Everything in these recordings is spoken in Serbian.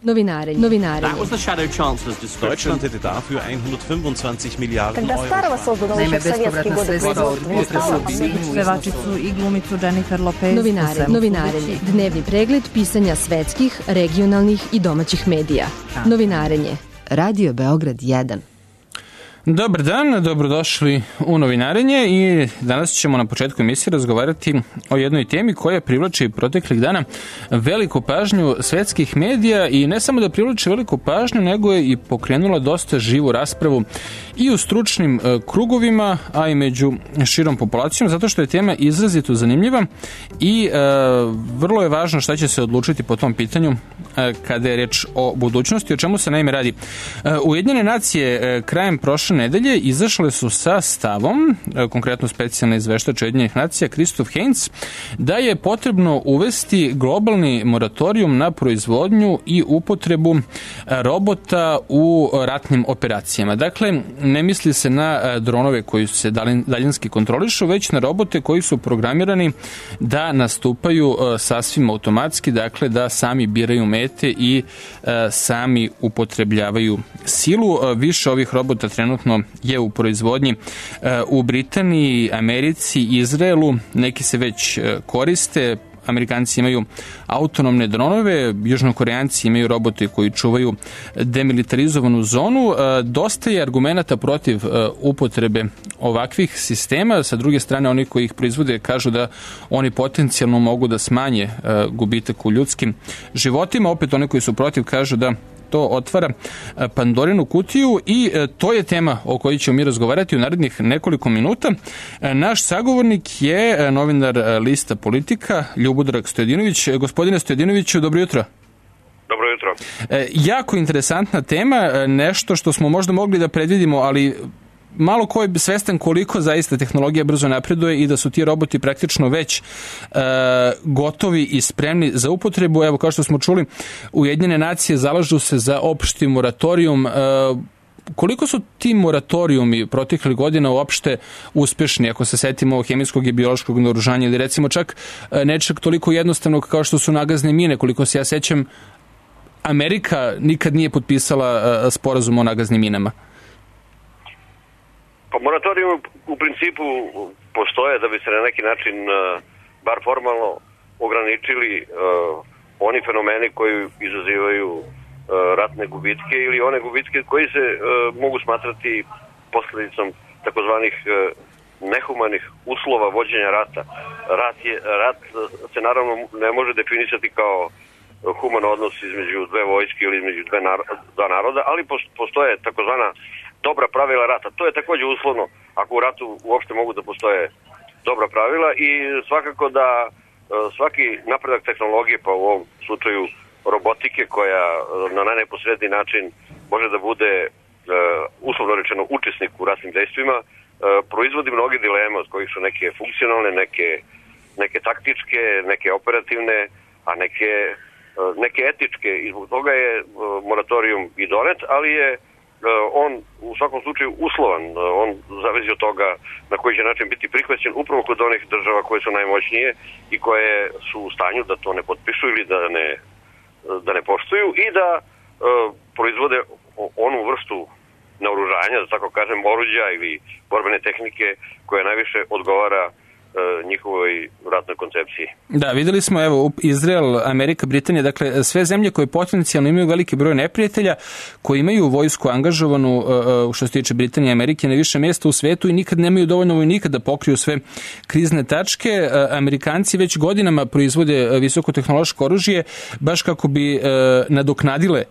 Novinare. Deutschland hätte dafür 125 Miliarden Euro. Naime, bespovratna sredstva od potresa u Bilinju. Pevačicu i glumicu Jennifer Lopez. Novinarenje. Dnevni pregled pisanja svetskih, regionalnih i domaćih medija. Novinarenje. Radio Beograd 1. Dobar dan, dobrodošli u Novinarenje i danas ćemo na početku emisije razgovarati o jednoj temi koja privlači proteklih dana veliku pažnju svetskih medija i ne samo da privlači veliku pažnju, nego je i pokrenula dosta živu raspravu i u stručnim krugovima, a i među širom populacijom, zato što je tema izrazito zanimljiva i vrlo je važno šta će se odlučiti po tom pitanju kada je reč o budućnosti, o čemu se naime radi. Ujedinjene nacije krajem prošle nedelje izašle su sa stavom, konkretno specijalna izveštač Ujedinjenih nacija Christoph Heinz, da je potrebno uvesti globalni moratorijum na proizvodnju i upotrebu robota u ratnim operacijama. Dakle, ne misli se na dronove koji se daljinski kontrolišu, već na robote koji su programirani da nastupaju sasvim automatski, dakle da sami biraju mete i sami upotrebljavaju silu. Više ovih robota trenutno je u proizvodnji u Britaniji, Americi, Izraelu. Neki se već koriste. Amerikanci imaju autonomne dronove, južnokoreanci imaju robote koji čuvaju demilitarizovanu zonu. Dosta je argumenata protiv upotrebe ovakvih sistema. Sa druge strane, oni koji ih proizvode kažu da oni potencijalno mogu da smanje gubitak u ljudskim životima. Opet oni koji su protiv kažu da to otvara Pandorinu kutiju i to je tema o kojoj ćemo mi razgovarati u narednih nekoliko minuta. Naš sagovornik je novinar lista Politika, Ljubodrag Stojadinović. Gospodine Stojadinoviću, dobro jutro. Dobro jutro. Jako interesantna tema, nešto što smo možda mogli da predvidimo, ali malo ko je svestan koliko zaista tehnologija brzo napreduje i da su ti roboti praktično već gotovi i spremni za upotrebu. Evo, kao što smo čuli, Ujedinjene nacije zalažu se za opšti moratorijum. Koliko su ti moratorijumi proteklih godina uopšte uspešni, ako se setimo hemijskog i biološkog naoružanja ili recimo čak nečeg toliko jednostavnog kao što su nagazne mine? Koliko se ja sećam, Amerika nikad nije potpisala sporazum o nagaznim minama. Pa moratorijum u principu postoje da bi se na neki način, bar formalno, ograničili oni fenomeni koji izazivaju ratne gubitke ili one gubitke koji se mogu smatrati posledicom takozvanih nehumanih uslova vođenja rata. Rat se naravno ne može definisati kao human odnos između dve vojske ili između dva naroda, ali postoje takozvana dobra pravila rata. To je takođe uslovno ako u ratu uopšte mogu da postoje dobra pravila i svakako da svaki napredak tehnologije, pa u ovom slučaju robotike koja na najneposredniji način može da bude uslovno rečeno učesnik u ratnim dejstvima, proizvodi mnoge dileme od kojih su neke funkcionalne, neke taktičke, neke operativne, a neke etičke i zbog toga je moratorijum i donet, ali je on u svakom slučaju uslovan, on zavisi od toga na koji će način biti prihvaćen upravo kod onih država koje su najmoćnije i koje su u stanju da to ne potpišu ili da ne poštuju i da proizvode onu vrstu naoružanja, da tako kažem, oruđa ili borbene tehnike koja najviše odgovara njihovoj ratnoj koncepciji. Da, videli smo, evo, Izrael, Amerika, Britanija, dakle, sve zemlje koje potencijalno imaju veliki broj neprijatelja, koji imaju vojsku angažovanu, što se tiče Britanije i Amerike, na više mjesta u svetu i nikad nemaju dovoljno vojnika da pokriju sve krizne tačke. Amerikanci već godinama proizvode visokotehnološko oružje, baš kako bi nadoknadile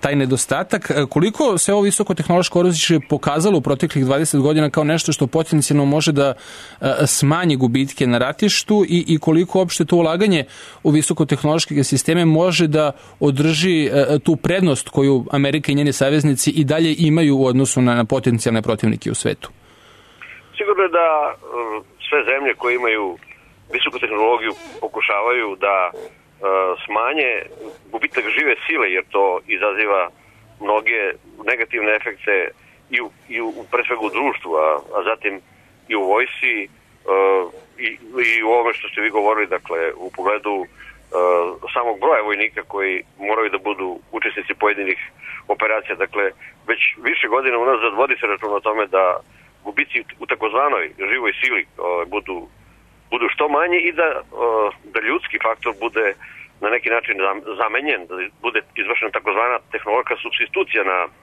taj nedostatak. Koliko se ovo visokotehnološko oružje pokazalo u proteklih 20 godina kao nešto što potencijalno može da smanji gubitke na ratištu i koliko uopšte to ulaganje u visokotehnološke sisteme može da održi tu prednost koju Amerika i njeni saveznici i dalje imaju u odnosu na potencijalne protivnike u svetu? Sigurno je da sve zemlje koje imaju visoku tehnologiju pokušavaju da smanje gubitak žive sile, jer to izaziva mnoge negativne efekte i u pre svega u društvu, a zatim i u vojsci i u ovome što ste vi govorili, dakle u pogledu samog broja vojnika koji moraju da budu učesnici pojedinih operacija. Dakle, već više godina unazad vodi se račun o tome da gubici u takozvanoj živoj sili budu što manji i da ljudski faktor bude na neki način zamenjen, da bude izvršena takozvana tehnološka supstitucija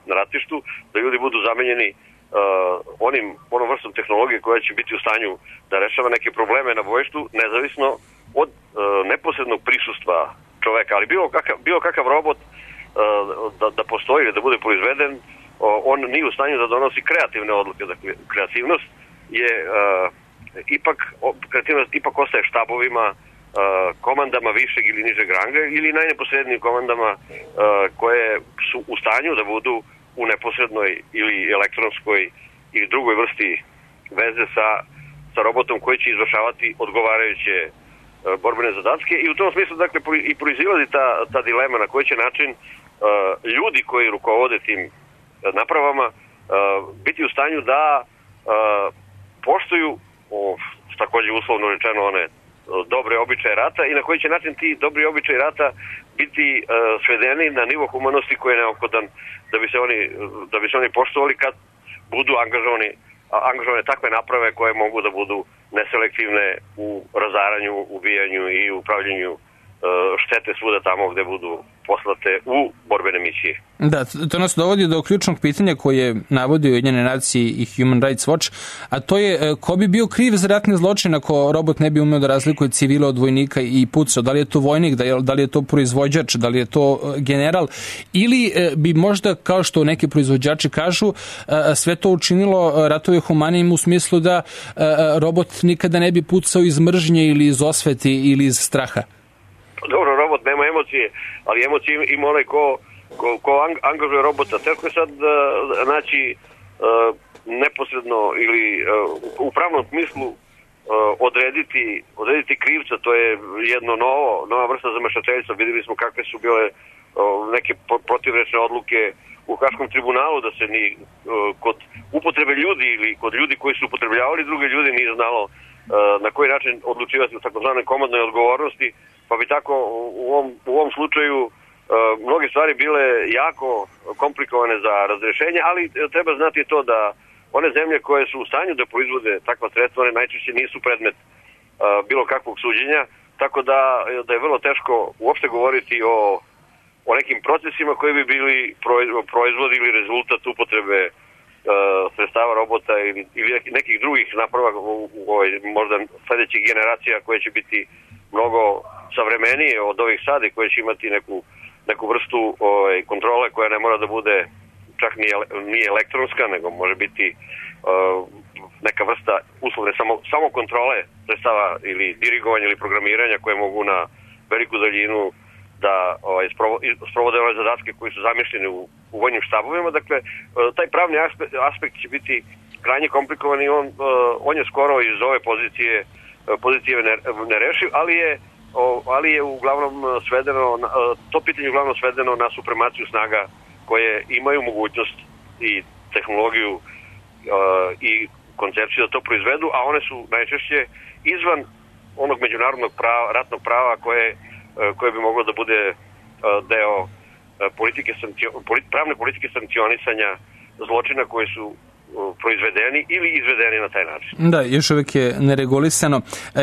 na ratištu, da ljudi budu zamenjeni onom vrstom tehnologije koja će biti u stanju da rešava neke probleme na bojištu, nezavisno od neposrednog prisustva čoveka. Ali bilo kakav robot da postoji ili da bude proizveden, on nije u stanju da donosi kreativne odluke. Dakle, kreativnost ipak ostaje štabovima, komandama višeg ili nižeg ranga ili najneposrednijim komandama koje su u stanju da budu u neposrednoj ili elektronskoj ili drugoj vrsti veze sa robotom koji će izvršavati odgovarajuće borbene zadatke i u tom smislu dakle i proizilazi ta dilema na koji će način ljudi koji rukovode tim napravama biti u stanju da poštuju takođe uslovno rečeno one dobre običaje rata i na koji će način ti dobri običaji rata biti svedeni na nivo humanosti koji je neophodan da bi se oni poštovali kad budu angažovane takve naprave koje mogu da budu neselektivne u razaranju, ubijanju i upravljanju štete svuda tamo gde budu poslate u borbene misije. Da, to nas dovodi do ključnog pitanja koje navodi Ujedinjene nacije i Human Rights Watch, a to je ko bi bio kriv za ratni zločin ako robot ne bi umeo da razlikuje civila od vojnika i pucao? Da li je to vojnik, da li je to proizvođač, da li je to general ili bi možda, kao što neki proizvođači kažu, sve to učinilo ratove humanijim u smislu da robot nikada ne bi pucao iz mržnje ili iz osvete ili iz straha? Dobro, robot nema emocije, ali emocije ima onaj ko angažuje robota. Teško je sad naći neposredno ili u pravnom smislu odrediti krivca. To je jedno nova vrsta zamešateljstva. Videli smo kakve su bile neke protivrečne odluke u Haškom tribunalu, da se ni kod upotrebe ljudi ili kod ljudi koji su upotrebljavali druge ljude nije znalo na koji način odlučivati u takozvanoj komandnoj odgovornosti, pa bi tako u ovom slučaju mnoge stvari bile jako komplikovane za razrešenje, ali treba znati to da one zemlje koje su u stanju da proizvode takva sredstva, one najčešće nisu predmet bilo kakvog suđenja, tako da je vrlo teško uopšte govoriti o nekim procesima koji bi bili proizvod ili rezultat upotrebe sredstava robota ili nekih drugih naprava možda sledećih generacija koje će biti mnogo savremenije od ovih sada i koje će imati neku vrstu kontrole koja ne mora da bude čak nije elektronska, nego može biti neka vrsta uslovne samo kontrole sredstava ili dirigovanja ili programiranja koje mogu na veliku daljinu da sprovode ove zadatke koji su zamišljeni u vojnim štabovima. Dakle, taj pravni aspekt će biti krajnje komplikovan i on je skoro iz ove pozicije nerešiv, ali je uglavnom svedeno, to pitanje uglavnom svedeno na supremaciju snaga koje imaju mogućnost i tehnologiju i koncepciju da to proizvedu, a one su najčešće izvan onog međunarodnog ratnog prava koje bi moglo da bude deo pravne politike sankcionisanja zločina koji su proizvedeni ili izvedeni na taj način. Da, još uvijek je neregulisano.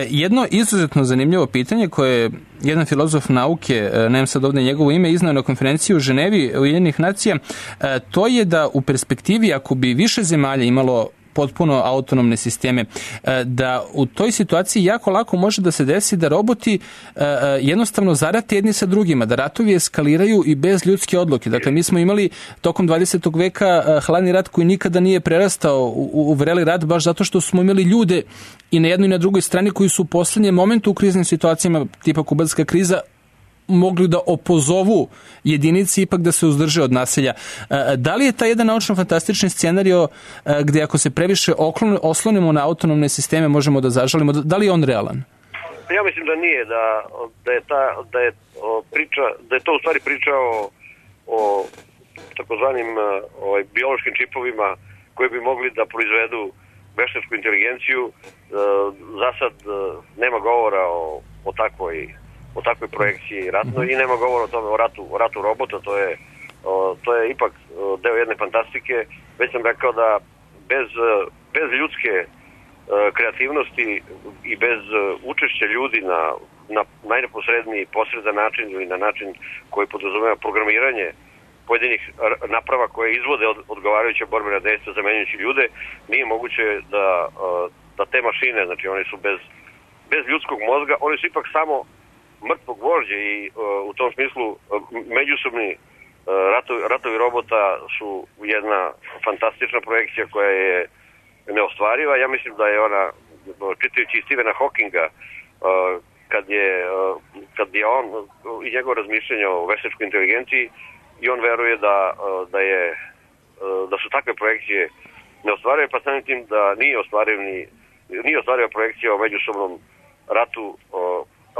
Jedno izuzetno zanimljivo pitanje koje je jedan filozof nauke, nemam sad ovdje njegovo ime, iznao na konferenciji u Ženevi Ujedinjenih nacija, to je da u perspektivi ako bi više zemalja imalo potpuno autonomne sisteme, da u toj situaciji jako lako može da se desi da roboti jednostavno zarate jedni sa drugima, da ratovi eskaliraju i bez ljudske odluke. Dakle, mi smo imali tokom 20. veka hladni rat koji nikada nije prerastao u vreli rat, baš zato što smo imali ljude i na jednoj i na drugoj strani koji su u poslednjem momentu u kriznim situacijama, tipa kubanska kriza, mogli da opozovu jedinici ipak da se uzdrže od nasilja. Da li je taj jedan naučno-fantastični scenario gde ako se previše oslonimo na autonomne sisteme možemo da zažalimo, da li je on realan? Ja mislim da nije, da je to u stvari priča o takozvanim biološkim čipovima koji bi mogli da proizvedu veštačku inteligenciju. Za sad nema govora o takvoj projekciji ratnoj i nema govora o tome o ratu robota, to je to je ipak deo jedne fantastike. Već sam rekao da bez ljudske kreativnosti i bez učešća ljudi na najneposredniji posredan način ili na način koji podrazumeva programiranje pojedinih naprava koje izvode odgovarajuće borbena dejstva zamenjujući ljude, nije moguće da te mašine, znači one su bez ljudskog mozga, one su ipak samo mrtvo gvožđe i u tom smislu međusobni ratovi robota su jedna fantastična projekcija koja je neostvariva. Ja mislim da je ona, čitajući Stephena Hawkinga, kad je on i njegov razmišljanje o veštačkoj inteligenciji, i on veruje da su takve projekcije neostvarive, pa samim tim da nije ostvariva projekcija o međusobnom ratu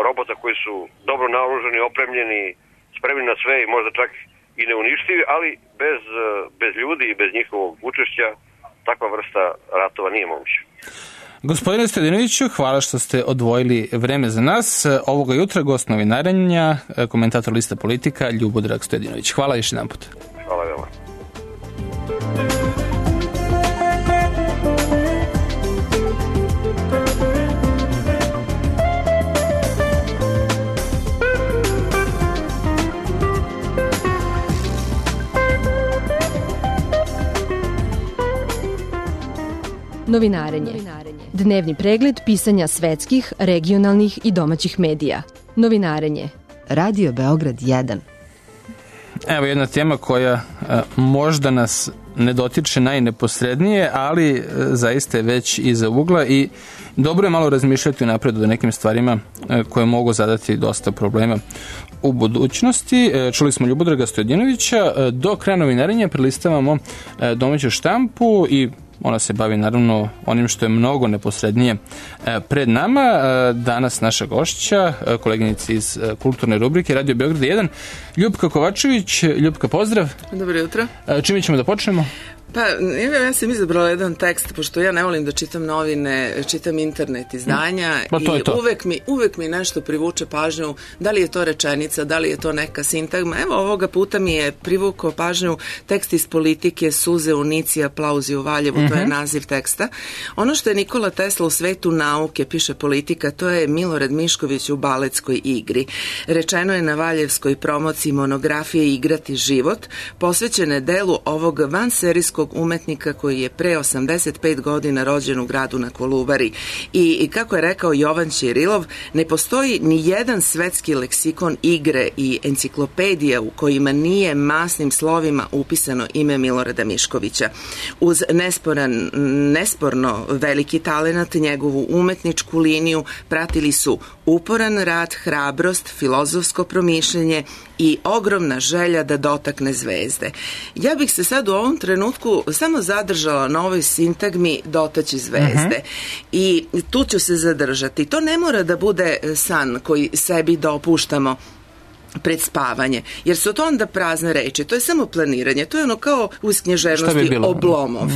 robota koji su dobro naoružani, opremljeni, spremni na sve i možda čak i neuništivi, ali bez ljudi i bez njihovog učešća takva vrsta ratova nije moguća. Gospodine Stojadinoviću, hvala što ste odvojili vreme za nas. Ovoga jutra gost novinarenja, komentator Lista Politika, Ljubodrag Stojadinović. Hvala još jedan put. Hvala veoma. Novinarenje. Dnevni pregled pisanja svetskih, regionalnih i domaćih medija. Novinarenje. Radio Beograd 1. Evo jedna tema koja možda nas ne dotiče najneposrednije, ali zaista je već iza ugla i dobro je malo razmišljati unapred o nekim stvarima koje mogu zadati dosta problema u budućnosti. Čuli smo Ljubodraga Stojadinovića. Do kraja novinarenja prelistavamo domaću štampu i ona se bavi naravno onim što je mnogo neposrednije pred nama. Danas naša gošća, koleginica iz kulturne rubrike Radio Beograd 1, Ljupka Kovačević. Ljupka, pozdrav. Dobro jutro. Čime ćemo da počnemo? Pa, ja sam izabrala jedan tekst, pošto ja ne volim da čitam novine, čitam internet izdanja i uvek mi nešto privuče pažnju, da li je to rečenica, da li je to neka sintagma. Evo, ovoga puta mi je privukao pažnju tekst iz Politike, Suze u Nici, aplauzi u Valjevu, to je naziv teksta. Ono što je Nikola Tesla u svetu nauke, piše Politika, to je Milorad Mišković u baletskoj igri. Rečeno je na valjevskoj promociji monografije Igrati život, posvećene delu ovog vanserijskog umetnika koji je pre 85 godina rođen u gradu na Kolubari. I kako je rekao Jovan Ćirilov, ne postoji ni jedan svetski leksikon igre i enciklopedija u kojima nije masnim slovima upisano ime Milorada Miškovića. Uz nesporno veliki talenat, njegovu umetničku liniju pratili su uporan rad, hrabrost, filozofsko promišljenje i ogromna želja da dotakne zvezde. Ja bih se sad u ovom trenutku samo zadržala na ovoj sintagmi dotaći zvezde. I tu ću se zadržati. To ne mora da bude san koji sebi dopuštamo pred spavanje, jer su to onda prazne reči, to je samo planiranje, to je ono kao u književnosti Oblomov.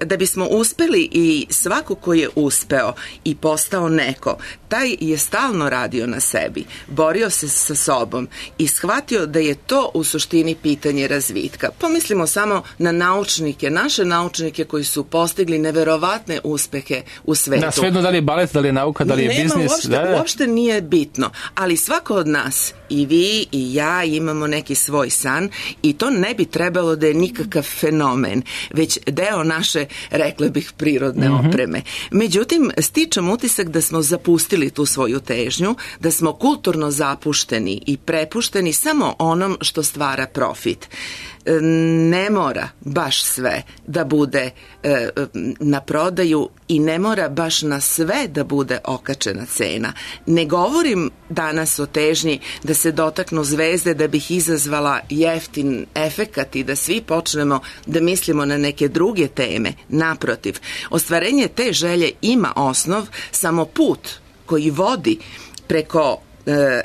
Da bismo uspeli i svako ko je uspeo i postao neko, taj je stalno radio na sebi, borio se sa sobom i shvatio da je to u suštini pitanje razvitka. Pomislimo samo na naučnike, naše naučnike koji su postigli neverovatne uspehe u svetu. Da, svejedno da li je balet, da li je nauka, da li je biznis. Uopšte nije bitno, ali svako od nas, i vi i ja, imamo neki svoj san i to ne bi trebalo da je nikakav fenomen, već deo naše, rekla bih, prirodne opreme. Međutim, stičem utisak da smo zapustili tu svoju težnju, da smo kulturno zapušteni i prepušteni samo onom što stvara profit. Ne mora baš sve da bude na prodaju i ne mora baš na sve da bude okačena cena. Ne govorim danas o težnji da se dotaknu zvezde da bih izazvala jeftin efekat i da svi počnemo da mislimo na neke druge teme. Naprotiv, ostvarenje te želje ima osnov, samo put koji vodi preko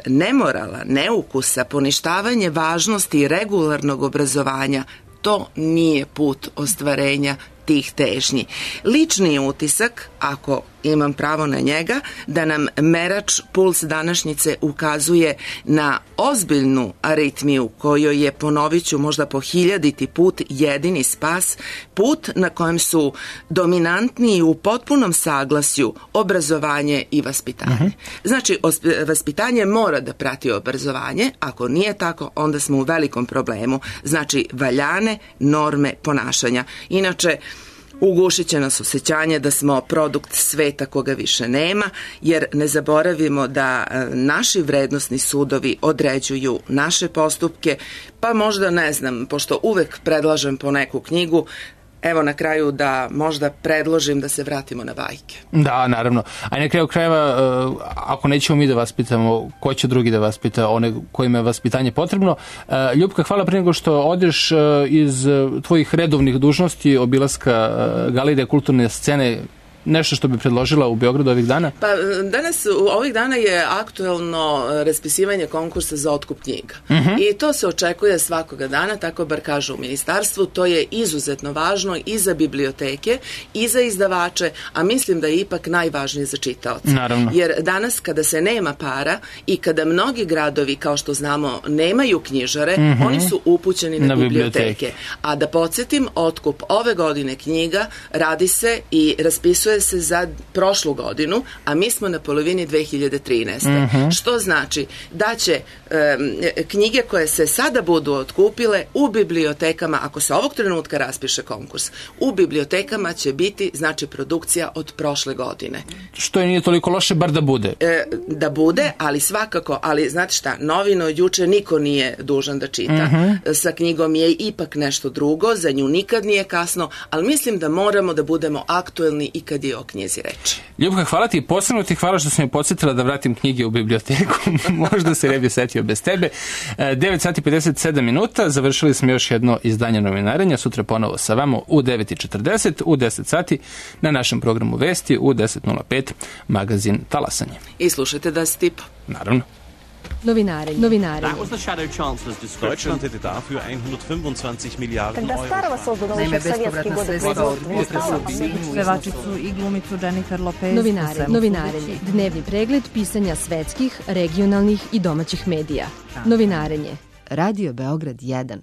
nemorala, neukusa, poništavanje važnosti regularnog obrazovanja, to nije put ostvarenja tih težnji. Lični utisak, ako imam pravo na njega, da nam merač Puls današnjice ukazuje na ozbiljnu aritmiju kojoj je, ponovit ću možda po 1000. put, jedini spas, put na kojem su dominantni u potpunom saglasju obrazovanje i vaspitanje. Znači, vaspitanje mora da prati obrazovanje, ako nije tako, onda smo u velikom problemu. Znači, valjane norme ponašanja. Inače, ugušit će nas osjećanje da smo produkt sveta koga više nema, jer ne zaboravimo da naši vrednosni sudovi određuju naše postupke, pa možda, ne znam, pošto uvek predlažem po neku knjigu, evo na kraju da možda predložim da se vratimo na bajke. Da, naravno. A na kraju krajeva, ako nećemo mi da vaspitamo, ko će drugi da vaspita one kojima je vaspitanje potrebno? Ljupka, hvala prije nego što odeš iz tvojih redovnih dužnosti, obilaska galerije kulturne scene, nešto što bi predložila u Beogradu ovih dana? Pa danas, ovih dana je aktuelno raspisivanje konkursa za otkup knjiga. I to se očekuje svakoga dana, tako bar kažu u ministarstvu. To je izuzetno važno i za biblioteke i za izdavače, a mislim da je ipak najvažnije za čitaoce. Naravno. Jer danas kada se nema para i kada mnogi gradovi, kao što znamo, nemaju knjižare, oni su upućeni na biblioteke. A da podsjetim, otkup ove godine knjiga radi se i raspisuje se za prošlu godinu, a mi smo na polovini 2013. Što znači da će knjige koje se sada budu otkupile u bibliotekama, ako se ovog trenutka raspiše konkurs, u bibliotekama će biti, znači, produkcija od prošle godine. Što je nije toliko loše, bar da bude. Da bude, ali svakako, ali znate šta, novine od juče niko nije dužan da čita. Sa knjigom je ipak nešto drugo, za nju nikad nije kasno, ali mislim da moramo da budemo aktuelni i kad je o knjizi reči. Ljubka, hvala ti, posebno ti hvala što sam je podsjetila da vratim knjige u biblioteku. Možda se ne bi setio bez tebe. 9 sati 57 minuta, završili smo još jedno izdanje novinarenja, sutra ponovo sa vama u 9:40, u 10 sati na našem programu Vesti, u 10:05 magazin Talasanje. I slušajte Da si tipo. Naravno. Novinari. That was the Shadow Chancellor's description. Deutschland hätte dafür 125 Milliarden Euro. Naime, bespovratna sredstva od pevačicu i glumicu Jennifer Lopez. Novinarenje. Dnevni pregled pisanja svetskih, regionalnih i domaćih medija. Novinarenje. Radio Beograd 1.